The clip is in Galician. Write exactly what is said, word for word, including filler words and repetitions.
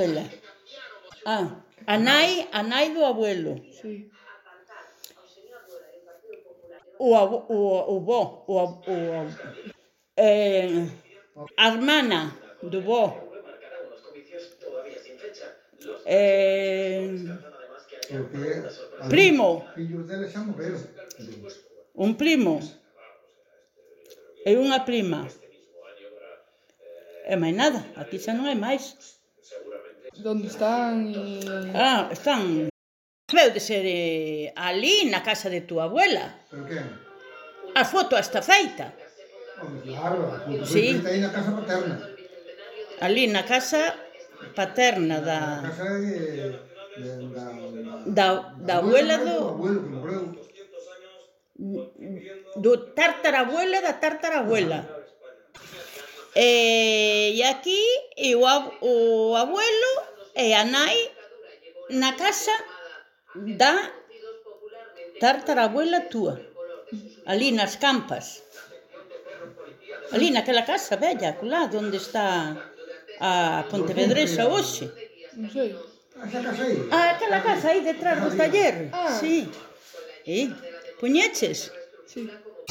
Abuela. Ah, a nai, a nai do abuelo. Sí. O abo, o, o bo, o, o, eh, a hermana do bo. Eh, primo. Un primo. E unha prima. E máis nada, aquí xa non hai máis. Donde están e... Ah, están... Deu de ser eh, ali na casa de túa abuela. Pero que? A foto está feita. Home, claro, a foto foi Sí. feita aí na casa paterna. Ali na casa paterna da... Na casa de... de da, da, da abuela do... do abuelo que morreu. Do tartarabuela da tartarabuela. E, e aquí e o, o abuelo e a nai na casa da tartarabuela túa. Ali nas Campas. Ali naquela casa bella, lá onde está a Pontevedresa hoxe. Non sei. Esa casa aí? Ah, aquela casa aí detrás do taller. Ah. Sí. E, puñeches? Sí.